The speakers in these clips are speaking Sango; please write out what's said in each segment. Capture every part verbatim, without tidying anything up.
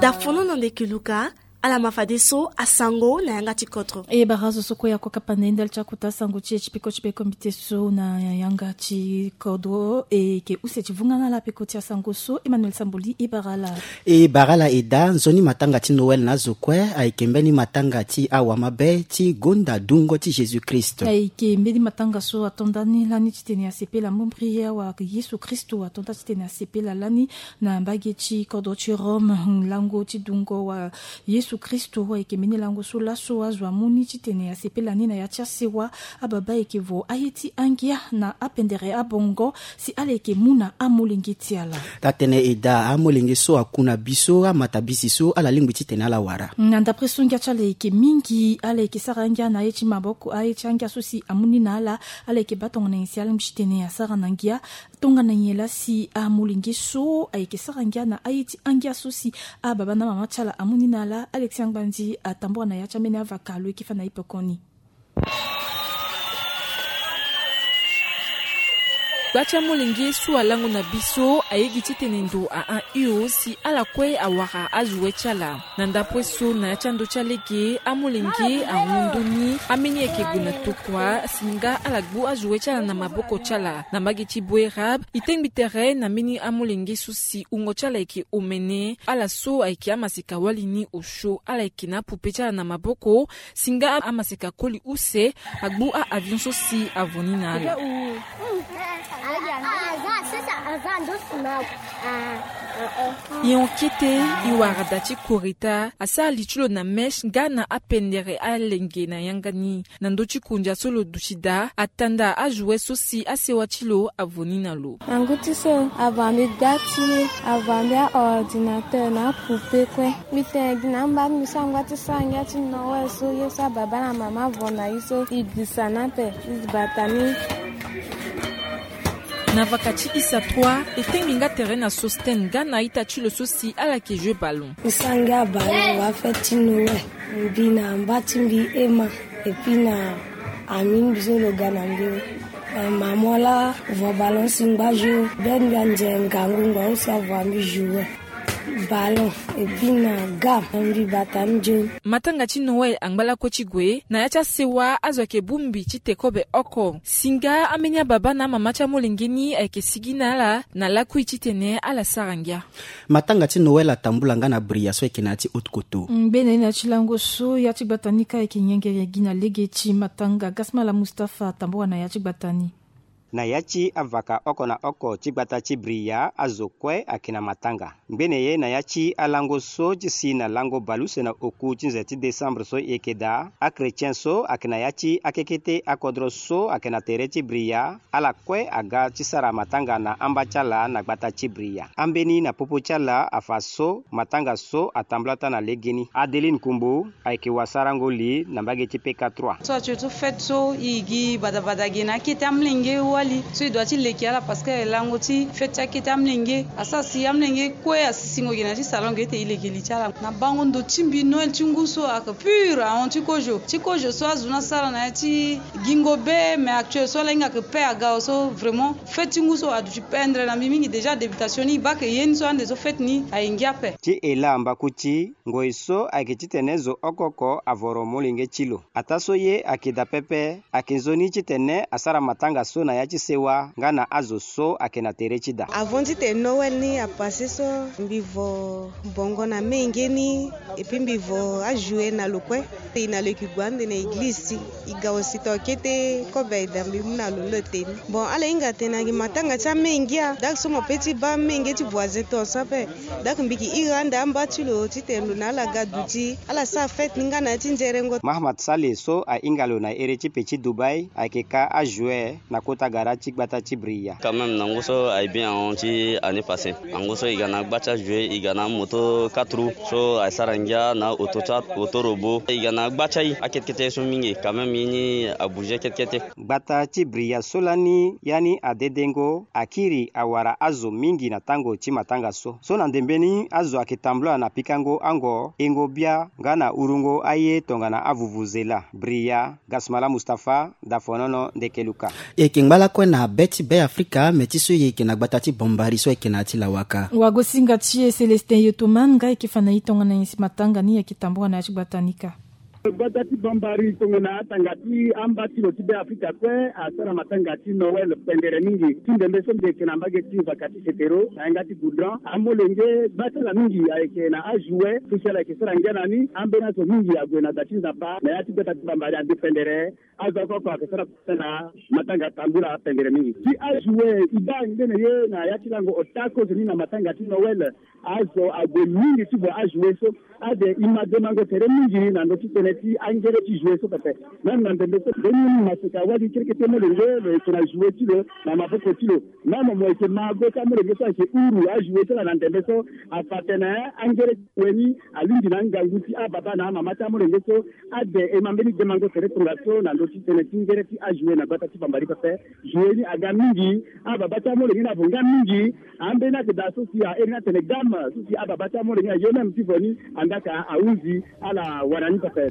Dafono na ndeke luka. Ala ma fadeso asango na yanga ti kodro. E bara azo so kue ako kapa na ye ndali ti akota sango ti e ti peko ti peko mbi te so na yanga ti kodro e yeke use ti vunga na ala peko ti asango so. Emmanuel Samboli e bara ala. E bara ala e daa nzoni matanga ti Noël na azo kue ayeke mbeni matanga ti awamabe ti gonda dungo ti Jésus Christ. Ayeke mbeni matanga so ato nda ni lani titene asepela mombri awa Yesu Kristo ato nda titene asepela lani na mbage ti kodro ti Rome. Lango ti dungo wa Yesu Kristo ayeke mbeni lango so laso azo amu ni titene asepela ni na ya ti asewa. Ababa ayeke vo aye ti angia na apendere abongo si ala yeke mu na amolenge ti ala. Taa-tënë e daa amolenge so aku na bi so amatabisi so ala lingbi titene ala wara. Na ndapre so ngia ti ala yeke mingi ala yeke sara angia na aye ti maboko aye ti angia so si amu ni na ala. Ala yeke baa tongana nyen si ala lingbi titene asara na ngia. Tongana nyen laa si amolenge so ayeke sara ngia na aye ti angia so si ababa na amama ti ala amu ni na ala. Alexia Ngbandi atambora na ya ti ambeni avaka lo yeke fa na ipokoni. Gba ti amolenge so alango na bi so aye gi titene ndo ahon hio si ala kue awara azo we ti ala. Na ndapue so na ya ti ando ti alege amolenge ahon ndoni ambeni ayeke gue na tokua si nga ala gbu azo we ti ala na maboko ti ala na mbage ti Boerab. E tengbi tere na mbeni amolenge so si wungo ti ala ayeke omene ala so ayeke amaseka wali ni osio ala yeke na apupe ti ala na maboko. Si nga amaseka koli use agbu a-avion so si avo ni na ala. E hon kete e wara da ti koreta asara li ti lo na mesh nga na apendere alenge na yanga ni. Na ndö ti kondia so lo duti daa atanda ajoue so si asewa ti lo avo ni na lo. Na ngu ti so avo ambi gba ti avo ambi aordinateur na apupe kue. Mbi tene gi na amba ti mbi so angba ti sara ngia ti Noël so ye so ababa na mama avo na ye so e gisa na ape e bata ni. Na vaka ti isa trois e tengbi nga tere na Sostène nga na a-ita ti lo so si ala yeke joue ballon. Mbi sara ngia ballon wa fête ti Noël. Mbi na mba ti mbi Emma. Epui na ami mbi so lo ga na mbi. Mama laa vo ballon si ngba joue be mbi anze ngangu ngba use avo ambi joue ballon. Epui na ga mbi bata ni joue. Matanga ti Noël angba lakue ti gue na ya ti asewa azo ayeke bongbi ti te kobe oko. Si nga ambeni ababa na amama ti amolenge ni ayeke sigi na ala na lakui titene ala sara ngia. Matanga ti Noël atambula nga na bria so ayeke na ya ti Haute-Kotto. Ngbene na ya ti lango so ya ti gbata ni ka ayeke nyengere gi na lege ti matanga. Gasmala Mustapha atambula na ya ti gbata ni. Na ya ti avaka oko na oko ti gbata ti bria azo kue ayeke na matanga. Ngbene ye na ya ti alango so ti si na lango baleuse na oku ti nze ti décembre so e yeke daa, achrétien so ayeke na ya ti akekete akodro so ayeke na tere ti bria, ala kue aga ti sara matanga na amba ti ala na gbata ti bria. Ambeni na popo ti ala afa so matanga so atambula taa na legeni. Adeline Kumbu ayeke wasarango li na mbage ti P K trois. So atsue so fête so e gi badabada ge na akete amolenge wali so e dua ti leke ala parce que lango ti fête ti akete amolenge asara si amolenge kue asisingo ge na ya ti salon ge ete e leke li ti ala. Na bango ndo ti mbi Noël ti ngu so ayeke pur ahon ti kozo ti kozo so azo ni asara na ya ti gingo be mais actuel so ala hinga ayeke pe aga so vraiment fête ti ngu so aduti pendre na mbi mingi déjà débutation ni e baa ayeke ye ni so ande so fête ni aye ngia ape. Ti e laa mbaku ti ngoi so ayeke titene zo oko oko avoro molenge ti lo. Ataa so ye ayeke daa pepe ayeke nzoni titene asara matanga so na ya ti sewa nga na azo so ayeke na tere ti daa. Avant titene Noël ni apasse so mbi vo bongo na menge ni epui mbi vo ajoue na lo kue. E na lo e yeke gue ande na eglize ti e ga aussi tongana kete kobe aye daa mbi mu na lo lo te ni. Bon ala hinga atene na gi matanga ti amenge ngia dak so mo pe ti baa amenge ti voisin tongaso ape. Dak mbi yeke iri ande amba ti lo titene lo na ala ga duti ala sara fête ni nga na ya ti nzerengo. Mahamat Saleh so ahinga lo na ere ti pe ti Dubaï ayeke ka ajoue na kota gara ti gbata ti bria. Quand même na ngu so aye bien ahon ti année passée. Na ngu so e ga na agba ti ajoue e ga na amoto quatre roues so aye sara ngia na oto ti a oto robot e ga na agba ti aye akete kete ye so mingi quand même ye ni abouge kete kete. Gbata ti bria so lani ya ni adedengo akiri awara azo mingi na tango ti matanga so so na ndembe ni azo ayeke tambula na pikango ango engo bia nga na urungo aye tongana avuvuzela. Bria, Gasmala Mustapha, Dafonono, Ndekeluka. E yeke ngba la Kue na be ti Be Afrika, me ti so e yeke na gbata ti Bambari so ayeke na ya ti Lawaka. Wagosinga ti e Célestin Yotoman nga ayeke fa na e tongana nyen si matanga ni ayeke tambula na ya ti gbata ni kâ. Gbata ti Bambari tongana atanga ti amba ti lo ti Be Afrika kue asara matanga ti Noël pendere mingi. Ti ndembe so mbi yeke na mbage ti vaka ti Setero na yanga ti Goudron, amolenge gba ti ala mingi ayeke na ajouet so si ala yeke sara ngia na ni. Ambeni azo mingi ague na da ti Nzapa na ya ti gbata ti Bambari ande pendere. Azo oko oko ayeke sara na matanga tambula pendere mingi. Ti ajouet e baa ngbene ye na ya ti lango ota kozoni na matanga ti Noël. Azo ague mingi ti vo ajouet so. Ade e ma demango tere mingi na ndö ti tënë ti angere ti jouet so pepe. Même na ndembe so mbeni maseka wali kerekete molenge lo yeke na jouet ti lo na maboko ti lo. Même mo yeke ma go ti amolenge so ayeke huru ajouet ti ala na ndembe so. Afa atene angere ti gue ni alingbi na angangu ti ababa na amama ti amolenge so. Ade e ma mbeni demango tere tongaso na ndö ti tënë ti ngere ti ajouet na gbata ti Bambari pepe. Jouet ni aga mingi. Ababa ti amolenge ni avo nga mingi. Ambeni ayeke daa so si a iri ni atene game so si ababa ti amolenge ni aye même ti vo ni. Anda ka ahunzi ala wara ni pepe.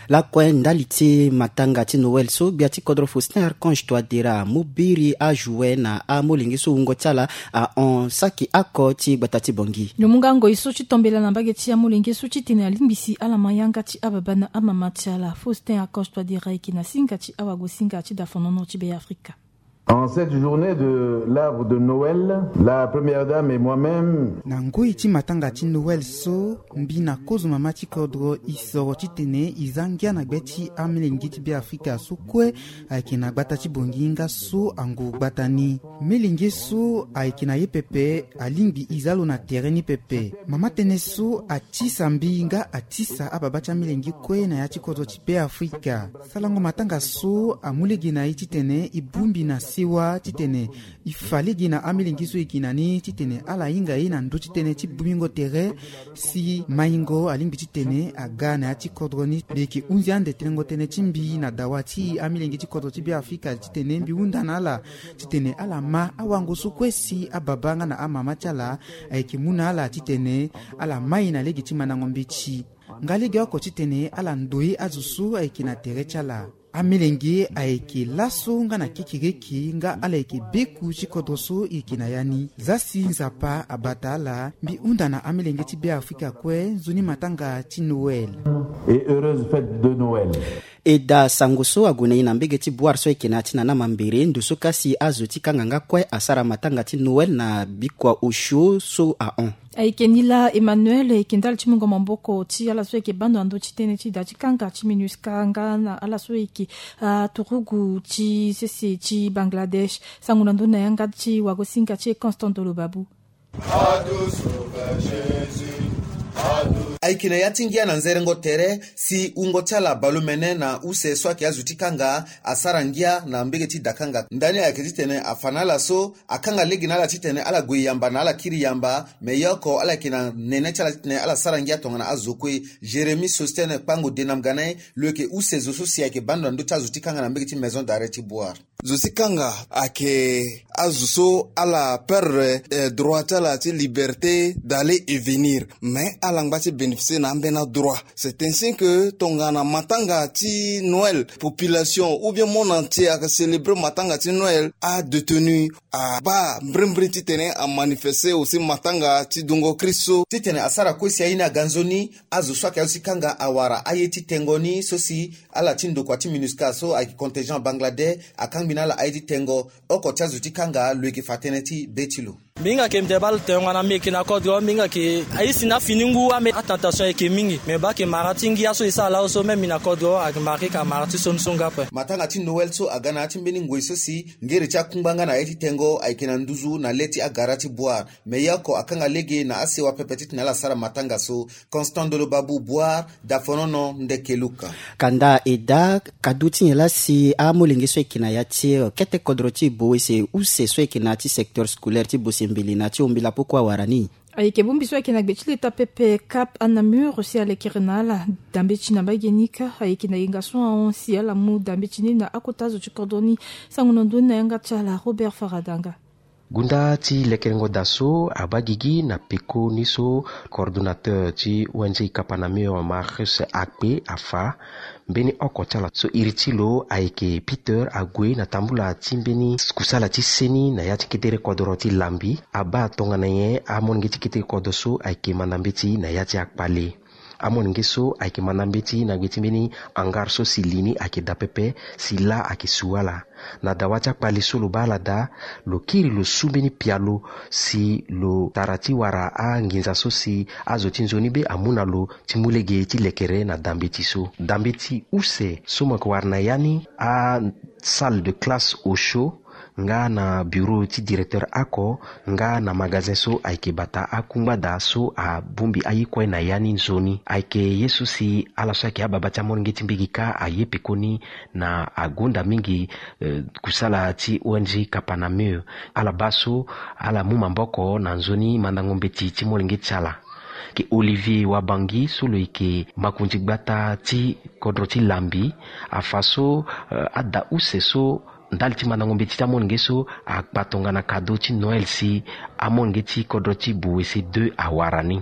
Lakue ndali ti matanga ti Noël so, gbia ti kodro Faustin Archange Touadéra amu biri ajouet na amolenge so wungo ti ala ahon saki oko ti gbata ti Bangui. Lo mu nga ngoi so ti tombela na mbage ti amolenge so titene alingbi si ala ma yanga ti ababa na amama ti ala. Faustin Archange Touadéra ayeke na singa ti awagosinga ti dafonono ti Be Afrika. En cette journée de l'arbre de Noël, la première dame et moi-même. Na ngoi ti matanga ti Noël so, mbi na kozo mama ti kodro e soro titene e za ngia na gbe ti amolenge ti Be Afrika so kue ayeke na gbata ti Bangui nga so angu gbata ni. Molenge so ayeke na ye pepe alingbi e za lo na tere ni pepe. Mama tënë so atisa mbi nga atisa ababa ti amolenge kue na ya ti kodro ti Be Afrika. Salango matanga so amu lege na e titene e bongbi na sewa titene e fa lege na amolenge so e yeke na ni titene ala hinga e na ndö ti tënë ti bongbingo tere. Si maingo alingbi titene aga na ya ti kodro ni. Mbi yeke hunzi ande telengo tënë ti mbi na dawa ti amolenge ti kodro ti Be Afrika titene mbi hunda na ala titene ala ma awango so kue si ababa nga na amama ti ala ayeke mu na ala titene ala mai na lege ti mandango mbeti. Nga legeoko titene ala ndoi azo so ayeke na tere ti ala. Amolenge ayeke laso nga na kekereke nga ala yeke beku ti kodro so e yeke na ya ni. Za si Nzapa abata ala, mbi hunda na amolenge ti Be Afrika kue nzoni matanga ti Noël. Et heureuse fête de Noël. E daa sango so ague na e na mbege ti Bouar so ayeke na ya ti Nana Mambere, ndo so kasi azo ti kanga nga kue asara matanga ti Noël na bikua osio so ahon. Ayeke ni laa Emmanuel, ayeke ndali ti mungo maboko ti ala so ayeke bando na ndö ti tënë ti da ti kanga ti MINUSCA nga na ala so ayeke aturugu ti sese ti Bangladesh. Sango na ndö na yanga ti wagosinga ti e Constant Dolo Babou. Ayeke na ya ti ngia na nzerengo tere si wungo ti ala baleomene na use so ayeke azo ti kanga asara ngia na mbege ti dakanga. Ndani ayeke titene afa na ala so akanga lege na ala titene ala gue yamba na ala kiri yamba. Me ye oko ala yeke na nene ti ala titene ala sara ngia tongana azo kue. Jérémie Sostène Kpango Denam Ganay, lo yeke use zo so si ayeke bando na ndö ti azo ti kanga na mbege ti maison d'arrêt ti Bouar. Zo ti kanga ayeke azo so ala perdre, eh, droit ti ala ti liberté d'aller et venir. Mais ala ngba ti bénéficier na ambeni adroit. C'est ainsi que tongana matanga ti Noël, population ou bien monde entier ayeke célébrer matanga ti Noël, adétenu abaa mbrimbri titene amanifester aussi matanga ti dungo Christ so. Titene asara kue si aye ni aga nzoni, azo so ayeke azo ti kanga awara aye ti tengo ni so si ala ti ndokua ti MINUSCA so ayeke contingent Bangladesh akangbi na ala aye ti tengo. Oko ti azo ti kanga lo yeke fa tënë ti be ti lo. Mbi hinga yeke mbi te baa lo tene tongana mbi yeke na kodro, mbi hinga yeke aye si na fini ngu ame atentation ayeke mingi. Me baa yeke mara ti ngia so e sara laa so même mbi na kodro ayeke mara ti ka mara ti sioni so nga ape. Matanga ti Noël so aga na ya ti mbeni ngoi so si ngere ti akungba nga na aye ti tengo ayeke na nduzu na le ti agara ti Bouar. Me ye oko akanga lege na asewa pepe titene ala sara matanga so. Constant Dolo Babou, Bouar, Dafonono, Ndeke Luka. Kanda e daa kadu ti nyen laa si amolenge so e yeke na ya ti, eh, kete kodro ti Boese use so e yeke na ya ti secteur scolaire ti Bosembele na ya ti Ombila poko awara ni. Ayeke bongbi so ayeke na gbe ti leta pepe Cap à Namur si alekere na ala dambe ti na mbage ni kâ. Ayeke na yenga so ahon si ala mu dambe ti ni na akota zo ti kodro ni. Sango na ndö ni na yanga ti ala Robert Faradanga. Gunda ti lekerengo da so abaa gigi na peko ni so coordonnateur ti O N G Kapanameo Marcus Akpe afa, mbeni oko ti ala so iri ti lo ayeke Peter ague na tambula ti mbeni kusala ti seni na ya ti ketere kodro ti Lambi abaa tongana nyen amolenge ti ketere kodro so ayeke manda mbeti na ya ti akpale. Amolenge so ayeke manda mbeti na gbe ti mbeni hangar so si li ni ayeke daa pepe, si laa ayeke su ala. Na dawa ti akpale so lo baa ala daa, lo kiri lo su mbeni pialo si lo tara ti wara anginza so si azo ti nzoni be amu na lo ti mu lege ti lekere na da mbeti so. Da mbeti use so mo yeke wara na ya ni, asalle de classe Osho, nga na bureau ti directeur oko, nga na magasin so ayeke bata akungba da so abongbi aye kue na ya ni nzoni. Ayeke ye so si ala so ayeke ababa ti amolenge ti mbage kâ aye pekoni na agonda mingi, eh, kusala ti O N G Kapanameo. Ala baa so ala mu maboko na nzoni mandango mbeti ti molenge ti ala. Ke Olivier Wabangi so lo yeke makonzi gbata ti kodro ti Lambi, afa so, eh, ada use so ndali ti mandango mbeti ti amolenge so akpa tongana kado ti Noël si amolenge ti kodro ti Bouwese deux awara ni.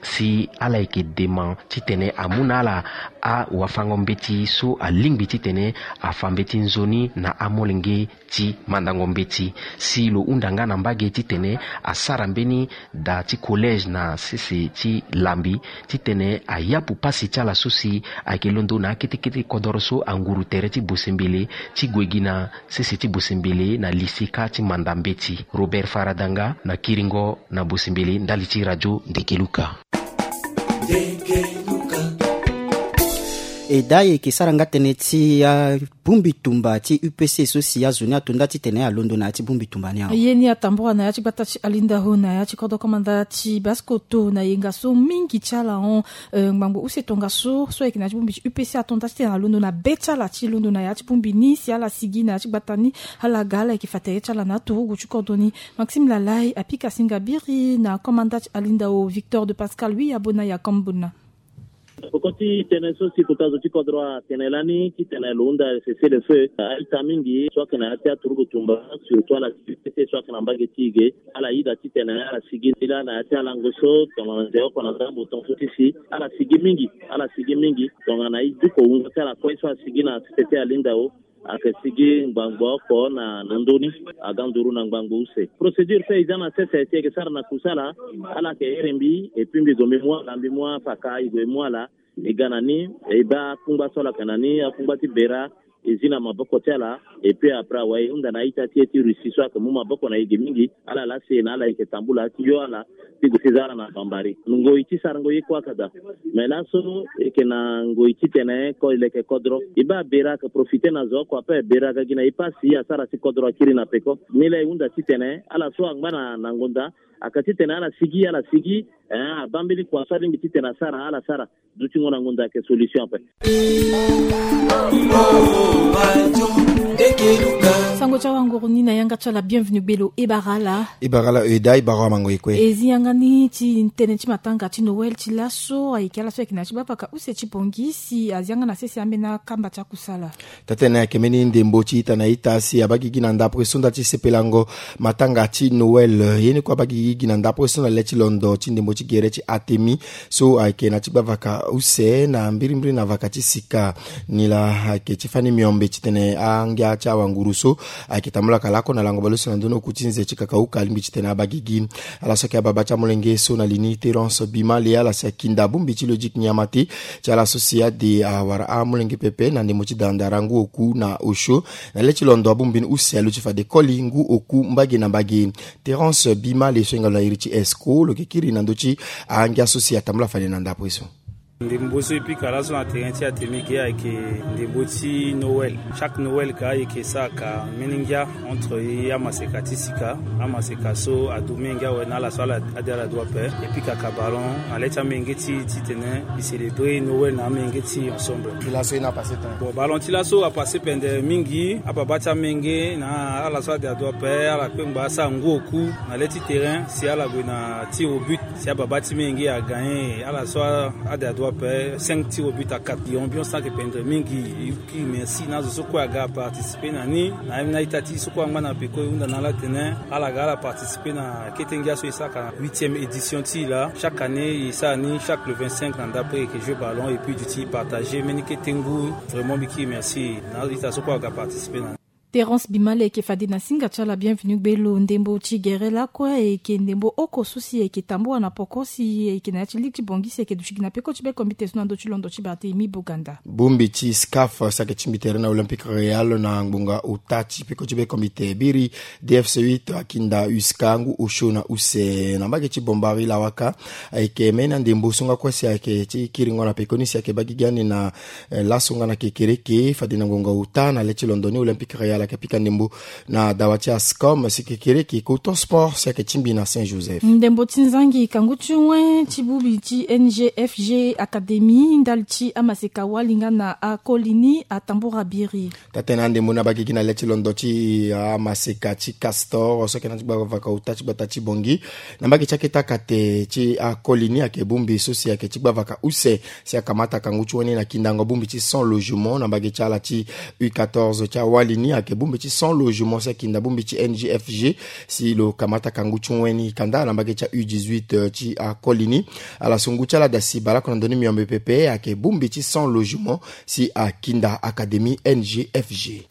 Si ala yeke dema titene amu na ala awafango mbeti so alingbi titene afa mbeti nzoni na amolenge ti mandango mbeti. Si lo hunda nga na mbage titene asara mbeni da ti collège na sese ti Lambi, titene ayapu pasi ti ala so si ayeke londo na akete kete kodoro so anguru tere ti Bosembele ti gue gi na sese ti Bosembele na lycée kâ ti manda mbeti. Robert Faradanga na kiringo na Bosembele ndali ti radio Ndekeluka. E daa, e yeke sara nga tënë ti, ah, bongbi tumba ti U P C so si azo ni ato nda titene alondo na ya ti bongbi tumba ni awe. Aye ni atambula na ya ti gbata ti Alindao na ya ti kodro komanda ti Basse-Kotto na yenga so mingi ti ala hon, eh, ngbangbo use tongaso so ayeke na ya ti bongbi ti U P C ato nda titene alondo na be ti ala ti londo na ya ti bongbi ni si ala sigi na ya ti gbata ni. Ala ga ala yeke fa tere ti ala na aturugu ti kodro ni. Maxime Lalai apika singa biri na komanda ti Alindao Victor de Pascal, wi abona ya Kambona. Peko ti tënë so si kota zo ti kodro atene lani titene lo hunda cessez-le-feu, a-ita mingi so ayeke na ya ti aturugu tumba, surtout ala ti U P C so ayeke na mbage ti e ge. Ala yeda titene ala sigi ni laa na ya ti alango so tongana nze oko na ndambo tongaso ti si ala sigi mingi, ala sigi mingi tongana e duko wungo ti ala kue so asigi na sese ti Alindao. Ayeke sigi ngbangbo oko na, na ndö ni, aga nduru na ngbangbo use. Procédure so e za na sese si e yeke sara na kusala, ala yeke here mbi, et puis mbi zo mbi mu ala, mbi mu apaka, e zo e mu ala, e ga na ni, e baa akungba so ala yeke na ni, akungba ti bera, e zi na maboko ti ala, et puis après awe e hunda na a-ita ti e ti Russie so ayeke mu maboko na e ge mingi. Ala laa si e na ala e yeke tambula ti yo ala ti gue ti za ala na bambari. Ngoi ti sarango ye kue ayeke daa. Me laso e yeke na ngoi titene ko e leke kodro. E baa bera ayeke profite na zo oko ape, bera aga gi na e pasi asara si kodro akiri na peko. Ni laa e hunda titene ala so angba na, na ngonda, ayeke titene ala sigi, ala sigi, eh, abaa mbeni kua so alingbi titene asara, ala sara. Dutingo na ngonda ayeke solution ape. Sango ti awanguru ni na yanga ti ala Bienvenu Gbelo, e bara ala. E bara ala, e daa, e bara amango e kue. E zi yanga ni ti tënë ti matanga ti Noël ti laso, ayeke ala so ayeke na ya ti bavaka use ti Bangui si azi yanga na sese ambeni akamba ti akusala. Taa-tënë ayeke mbeni ndembo ti ita na ita si abaa gigi na ndapre so nda ti sepelango matanga ti Noël. Ye ni kue abaa gigi na ndapre so na le ti londo ti ndembo ti gere ti Atemi so ayeke na ti gbavaka use na mbirimbiri na vaka ti sika. Nilaa ayeke ti fani miombe titene angia ti awanguru so ayeke tambula ka lako na lango baleuse na ndö ni oku ti nze ti kakauka alingbi titene abaa gigi. Ala so ayeke ababa ti amolenge so na li ni Terence Bimale, ala si akinda bongbi ti Logique Niamate ti ala so si ade awara amolenge pepe na ndembo ti dandara ngu oku na osio. Na le ti londo abongbi ni use aluti fade koli ngu oku mbage na mbage. Terence Bimale so hinga lo na iri ti Esco lo yeke kiri na ndö ti angia so si atambula fade na ndapre so. Ndembo so e pika laso na terrain ti Atemi ge ayeke ndembo ti Noël. Chaque Noël ka e yeke sara ka mbeni ngia entre e amaseka ti sika. Amaseka so adu mingi awe na ala so ala ade ala du ape. E pika ka ballon na le ti amenge ti e titene e célébrer Noël na amenge ti e ensemble. Ti laso e na passé tene. Bon, ballon ti laso apassé pende mingi. Ababa ti amenge na ala so ade adu ape ala kpengba asara ngu oku na le ti terrain si ala gue na tir au but. Si ababa ti menge agagné ala so ade adu Pe cinq tirs au but à quatre. Ambiance ayeke pendere mingi. Kiri merci na azo so kue aga aparticiper na ni. Na ye na ita ti so kue angba na peko e hunda na ala tene ala ga ala participer na kete ngia so e sara ka na huitième édition ti e laa. Chaque année e sara ni chaque le vingt-cinq na ndapre e yeke jouer ballon et puis duti e partager mbeni kete ngu. Vraiment mbi kiri merci na azo ita so kue aga participer na ni. Terence Bimale eke fade na singa ti ala bienvenu gbelo ndembo ti gere lakue eke ndembo oko so si eke tambua na poko si eke na ya ti ligue ti Bangui si eke duti gi na peko ti bekombite so na ndö ti londo ti Barthélemy Boganda. Bongbi ti SCAF si ayeke tingbi tere na Olympique Real na ngbonga ota ti peko ti bekombite biri D F C huit akinda uska ngu osio na use na mbage ti Bombari lawaka. Ayeke mbeni andembo so nga kue si ayeke ti kiringo na pekoni si ayeke baa gigi ani na laso nga na kekereke fade na ngonga ota na le ti londo ni Olympique Real ayeke pika ndembo na dawa ti ASCOM si kekereke Coton Sport si ayeke tingbi na Saint Joseph. Ndembo ti nzangi kangu ti wen ti bongbi ti N G F G Académie ndali ti amaseka wali nga na akoli ni atambura biri. Taa-tënë andembo ni abaa gigi na le ti londo ti amaseka ti Castor so ayeke na ti gbavaka ota ti gbata ti Bangui. Na mbage ti akete akate ti akoli ni ayeke bongbi so si ayeke ti gbavaka use si akamata kangu ti wen ni na kindango bongbi ti cent logement na mbage ti ala ti U quatorze ti awali ni ayeke bongbi ti cent logement si akinda bongbi ti N G F G si lo kamata kangu ti wen ni kanda na mbage ti U dix-huit ti akoli ni. Ala so ngu ti ala dasi baleoko na ndö ni miombe pepe ayeke bongbi ti cent logement si akinda Académie N G F G.